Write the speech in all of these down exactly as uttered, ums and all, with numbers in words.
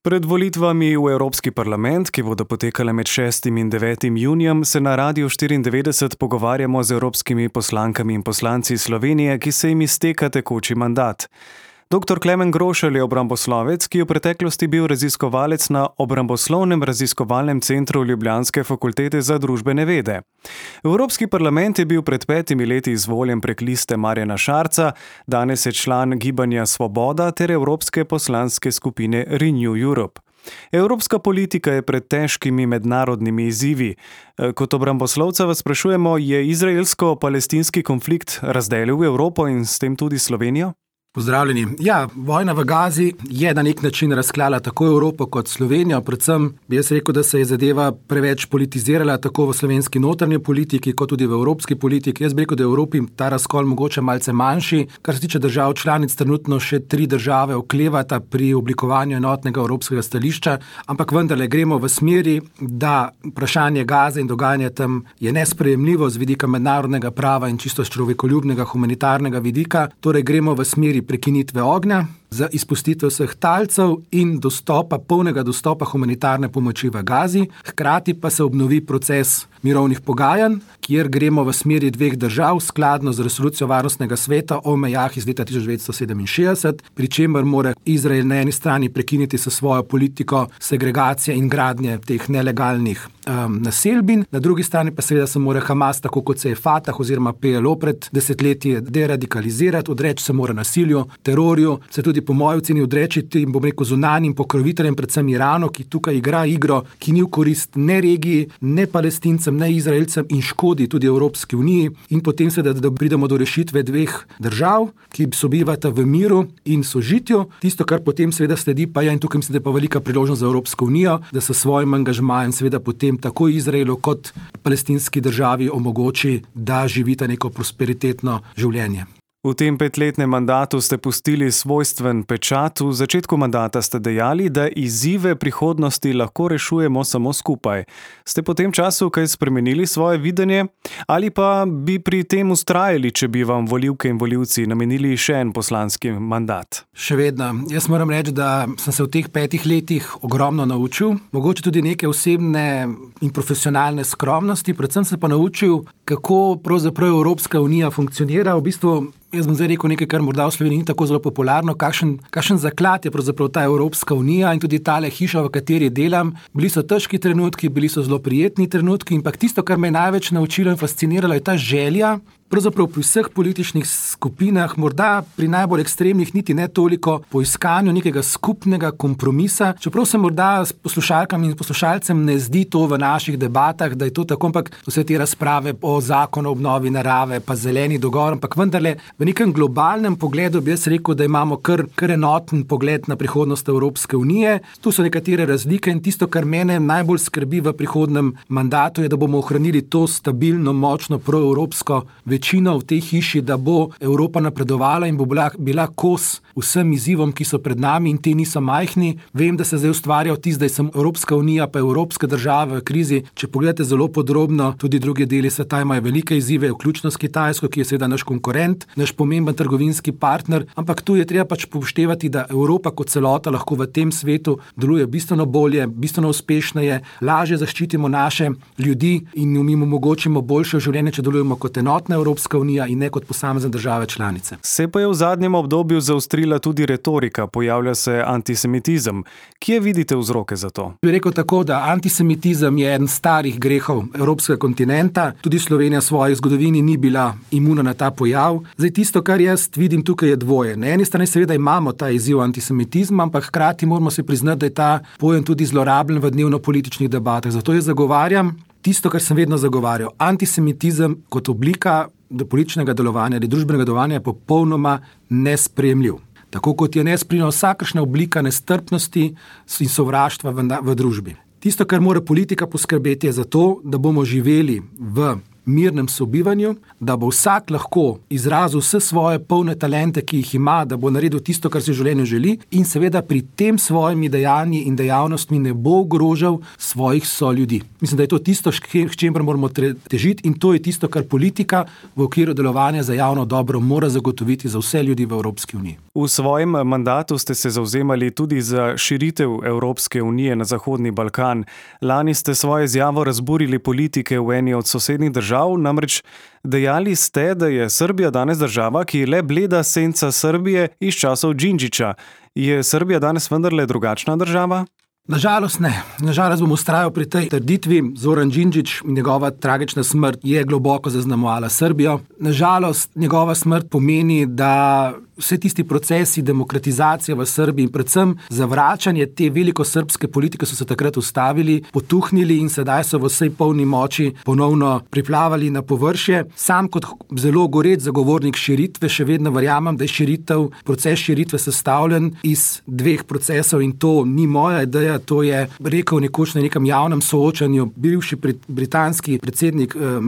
Pred volitvami v Evropski parlament, ki bodo potekale med šestim in devetim junijem, se na Radiu štiriindevetdeset pogovarjamo z evropskimi poslankami in poslanci Slovenije, ki se jim izteka tekoči mandat. Doktor Klemen Grošelj je obramboslovec, ki je v preteklosti bil raziskovalec na Obramboslovnem raziskovalnem centru Ljubljanske fakultete za družbene vede. V Evropski parlament je bil pred petimi leti izvoljen prek liste Marjana Šarca, danes je član Gibanja Svoboda ter Evropske poslanske skupine Renew Europe. Evropska politika je pred težkimi mednarodnimi izzivi. Kot obramboslovca vas sprašujemo, je izraelsko-palestinski konflikt razdelil Evropo in s tem tudi Slovenijo? Pozdravljeni. Ja, vojna v Gazi je na nek način razklala tako Evropo kot Slovenijo, predvsem bi jaz rekel, da se je zadeva preveč politizirala tako v slovenski notranji politiki kot tudi v evropski politiki. Jaz bi rekel, da je v Evropi ta razkol mogoče malce manjši. Kar se tiče držav članic, trenutno še tri države oklevata pri oblikovanju enotnega evropskega stališča, ampak vendarle gremo v smeri, da vprašanje Gaze in dogajanje tam je nesprejemljivo z vidika mednarodnega prava in čisto človekoljubnega humanitarnega vidika, torej gremo v smeri prekinitve ognja, za izpustitev vseh talcev in dostopa, polnega dostopa humanitarne pomoči v Gazi. Hkrati pa se obnovi proces mirovnih pogajanj, kjer gremo v smeri dveh držav skladno z resolucijo Varnostnega sveta o mejah iz leta tisoč devetsto sedeminšestdeset, pri čemer mora Izrael na eni strani prekiniti s svojo politiko segregacije in gradnje teh nelegalnih um, naselbin, na drugi strani pa seveda se mora Hamas, tako kot se je Fatah oziroma P L O pred desetletji, deradikalizirati, odreči se mora nasilju, terorju, se tudi po moji oceni odreči in bom rekel zunanjim pokroviteljem, predvsem Iranu, ki tukaj igra igro, ki ni v korist ne regiji, ne Palestincem, ne Izraelcem in škodi tudi Evropski uniji, in potem seveda, da pridemo do rešitve dveh držav, ki sobivata v miru in sožitju. Tisto, kar potem seveda sledi, pa je, in tukaj mislim, da je pa velika priložnost za Evropsko unijo, da se svojim angažmajem seveda potem tako Izraelu kot palestinski državi omogoči, da živita neko prosperitetno življenje. V tem petletnem mandatu ste pustili svojstven pečat. V začetku mandata ste dejali, da izzive prihodnosti lahko rešujemo samo skupaj. Ste po tem času kaj spremenili svoje videnje? Ali pa bi pri tem vztrajali, če bi vam volivke in volivci namenili še en poslanski mandat? Še vedno. Jaz moram reči, da sem se v teh petih letih ogromno naučil. Mogoče tudi neke osebne in profesionalne skromnosti. Predvsem se pa naučil, kako pravzaprav Evropska unija funkcionira. V bistvu jaz bom zdaj rekel nekaj, kar morda v Sloveniji ni tako zelo popularno, kakšen, kakšen zaklad je pravzaprav ta Evropska unija in tudi tale hiša, v kateri delam. Bili so težki trenutki, bili so zelo prijetni trenutki, ampak tisto, kar me je največ naučilo in fasciniralo, je ta želja, pravzaprav pri vseh političnih skupinah, morda pri najbolj ekstremnih niti ne toliko po iskanju nekega skupnega kompromisa, čeprav se morda s poslušalkam in poslušalcem ne zdi to v naših debatah, da je to tako, ampak vse te razprave o zakonu o obnovi narave, pa zeleni dogovor, ampak vendarle v nekem globalnem pogledu bi jaz rekel, da imamo kar, kar enoten pogled na prihodnost Evropske unije. Tu so nekatere razlike in tisto, kar mene najbolj skrbi v prihodnem mandatu, je, da bomo ohranili to stabilno, močno proevropsko večino v tej hiši, da bo Evropa napredovala in bo bila, bila kos vsem izzivom, ki so pred nami in te niso majhni. Vem, da se zdaj ustvarja vtis, da je samo Evropska unija pa evropske države v krizi. Če pogledate zelo podrobno, tudi druge deli sveta imajo velike izzive, vključno s Kitajsko, ki je seveda naš konkurent, naš pomemben trgovinski partner, ampak tu je treba pač upoštevati, da Evropa kot celota lahko v tem svetu deluje bistveno bolje, bistveno uspešneje, lažje zaščitimo naše ljudi in jim omogočimo boljše življenje, če delujemo kot enotna Evropska unija in ne kot posamezne države članice. Se pa je v zadnjem obdobju zaostrila tudi retorika, pojavlja se antisemitizem. Kje vidite vzroke za to? Bi rekel tako, da antisemitizem je eden starih grehov evropskega kontinenta, tudi Slovenija v svoji zgodovini ni bila imuna na ta pojav. Zdaj tisto, kar jaz vidim tukaj je dvoje. Na eni strani seveda imamo ta izziv antisemitizma, ampak hkrati moramo se priznati, da je ta pojem tudi zlorabljen v dnevno-političnih debatah. Zato jaz zagovarjam tisto, kar sem vedno zagovarjal. Antisemitizem kot oblika političnega delovanja ali družbenega delovanja je popolnoma nesprejemljiv. Tako kot je nesprejemljiva vsakršna oblika nestrpnosti in sovraštva v, v družbi. Tisto, kar mora politika poskrbeti, je za to, da bomo živeli v mirnem sobivanju, da bo vsak lahko izrazil vse svoje polne talente, ki jih ima, da bo naredil tisto, kar si v življenju želi in seveda pri tem svojimi dejanji in dejavnostmi ne bo ogrožal svojih soljudi. Mislim, da je to tisto, k čemer moramo težiti in to je tisto, kar politika v okviru delovanja za javno dobro mora zagotoviti za vse ljudi v Evropski uniji. V svojem mandatu ste se zavzemali tudi za širitev Evropske unije na Zahodni Balkan. Lani ste svojo izjavo razburili politike v eni od sosednjih držav, namreč dejali ste, da je Srbija danes država, ki je le bleda senca Srbije iz časov Đinđića. Je Srbija danes vendarle drugačna država? Nažalost ne. Nažalost bom vztrajal pri tej trditvi. Zoran Đinđić in njegova tragična smrt je globoko zaznamovala Srbijo. Nažalost njegova smrt pomeni, da vse tisti procesi demokratizacije v Srbiji in predvsem zavračanje te velikosrbske politike so se takrat ustavili, potuhnili in sedaj so v vsej polni moči ponovno priplavali na površje. Sam kot zelo goreč zagovornik širitve še vedno verjamem, da je širitev, proces širitve sestavljen iz dveh procesov in to ni moja ideja, to je rekel nekoč na nekem javnem soočanju bivši britanski predsednik eh,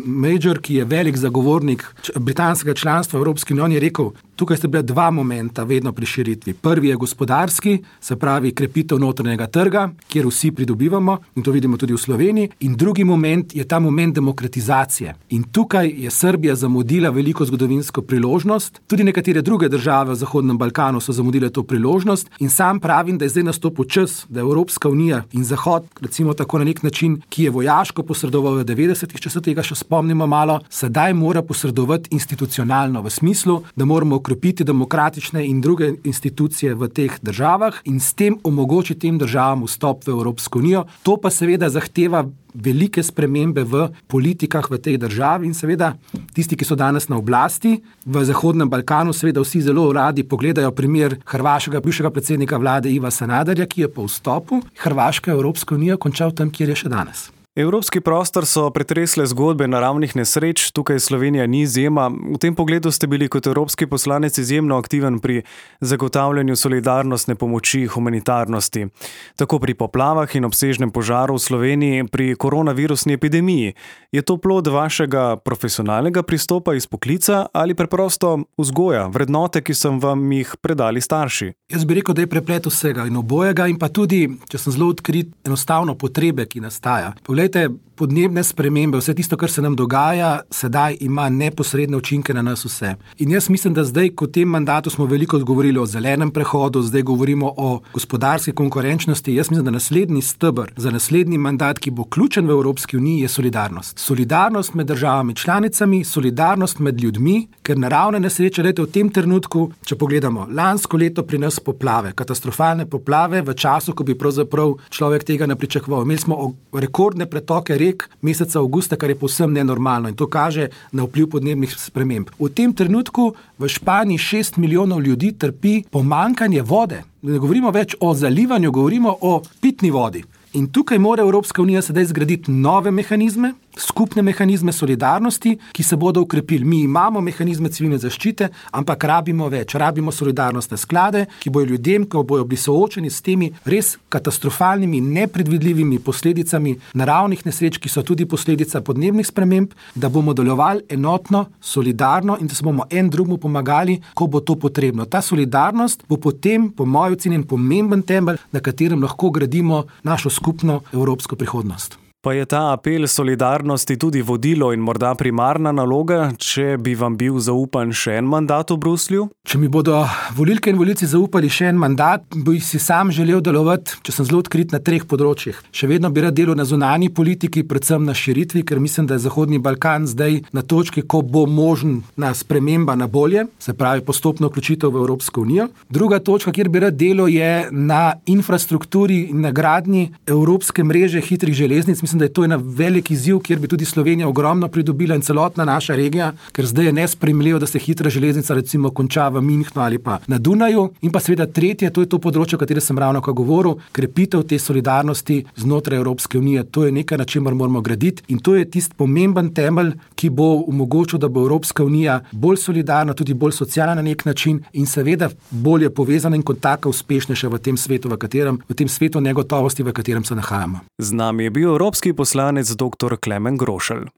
Major, ki je velik zagovornik britanskega članstva v Evropski uniji, je rekel, tukaj sta bila dva momenta vedno pri širitvi. Prvi je gospodarski, se pravi krepitev notranjega trga, kjer vsi pridobivamo in to vidimo tudi v Sloveniji. In drugi moment je ta moment demokratizacije. In tukaj je Srbija zamudila veliko zgodovinsko priložnost. Tudi nekatere druge države v Zahodnem Balkanu so zamudile to priložnost in sam pravim, da je zdaj nastopil čas, da Evropska unija in Zahod, recimo tako na nek način, ki je vojaško posredoval v devetdesetih, če se tega še spomnimo malo, sedaj mora posredovati institucionalno v smislu, da moramo okrepiti demokratične in druge institucije v teh državah in s tem omogočiti tem državam vstop v Evropsko unijo. To pa seveda zahteva velike spremembe v politikah v tej državi in seveda tisti, ki so danes na oblasti v Zahodnem Balkanu, seveda vsi zelo radi pogledajo primer hrvaškega bivšega predsednika vlade Iva Sanaderja, ki je po vstopu Hrvaške v Evropsko unijo končal tam, kjer je še danes. Evropski prostor so pretresle zgodbe naravnih nesreč, tukaj Slovenija ni izjema. V tem pogledu ste bili kot evropski poslanec izjemno aktiven pri zagotavljanju solidarnostne pomoči humanitarnosti. Tako pri poplavah in obsežnem požaru v Sloveniji, pri koronavirusni epidemiji. Je to plod vašega profesionalnega pristopa iz poklica ali preprosto vzgoja, vrednote, ki sem vam jih predali starši? Jaz bi rekel, da je preplet vsega in obojega in pa tudi, če sem zelo odkrit, enostavno potrebe, ki nastaja. Poglejte, podnebne spremembe, vse tisto, kar se nam dogaja, sedaj ima neposredne učinke na nas vse. In jaz mislim, da zdaj, ko v tem mandatu smo veliko govorili o zelenem prehodu, zdaj govorimo o gospodarski konkurenčnosti, jaz mislim, da naslednji steber za naslednji mandat, ki bo ključen v Evropski uniji, je solidarnost. Solidarnost med državami članicami, solidarnost med ljudmi, ker naravne nesreče, dajte v tem trenutku, če pogledamo, lansko leto pri nas poplave, katastrofalne poplave v času, ko bi pravzaprav človek tega ne pričakoval. Imeli smo rekordne pretoke rek meseca avgusta, kar je povsem nenormalno in to kaže na vpliv podnebnih sprememb. V tem trenutku v Španiji šest milijonov ljudi trpi pomanjkanje vode. Ne govorimo več o zalivanju, govorimo o pitni vodi. In tukaj mora Evropska unija sedaj zgraditi nove mehanizme, skupne mehanizme solidarnosti, ki se bodo ukrepili. Mi imamo mehanizme civilne zaščite, ampak rabimo več. Rabimo solidarnostne sklade, ki bojo ljudem, ko bojo bili soočeni s temi res katastrofalnimi, nepredvidljivimi posledicami naravnih nesreč, ki so tudi posledica podnebnih sprememb, da bomo delovali enotno, solidarno in da se bomo en drugemu pomagali, ko bo to potrebno. Ta solidarnost bo potem, po mojem ocenjen, pomemben temelj, na katerem lahko gradimo našo skupno evropsko prihodnost. Pa je ta apel solidarnosti tudi vodilo in morda primarna naloga, če bi vam bil zaupan še en mandat v Bruslju? Če mi bodo volilke in volilci zaupali še en mandat, bi si sam želel delovati, če sem zelo odkrit, na treh področjih. Še vedno bi rad delal na zunanji politiki, predvsem na širitvi, ker mislim, da je Zahodni Balkan zdaj na točki, ko bo možna sprememba na bolje, se pravi postopno vključitev v Evropsko unijo. Druga točka, kjer bi rad delal, je na infrastrukturi in na gradnji evropske mreže hitrih železnic. Mislim, da je to ena velik izziv, kjer bi tudi Slovenija ogromno pridobila in celotna naša regija, ker zdaj je nesprejemljivo, da se hitra železnica recimo konča v Münchnu ali pa na Dunaju. In pa seveda tretje, to je to področje, o katerem sem ravno ko govoril, krepitev te solidarnosti znotraj Evropske unije. To je nekaj, na čemer moramo graditi in to je tisti pomemben temelj, ki bo omogočil, da bo Evropska unija bolj solidarna, tudi bolj socialna na nek način in seveda bolje povezana in kot taka uspešnejša v tem svetu, v katerem, v tem svetu negotovosti, v katerem se nahajamo. Z nami je bil evropski poslanec dr. Klemen Grošelj.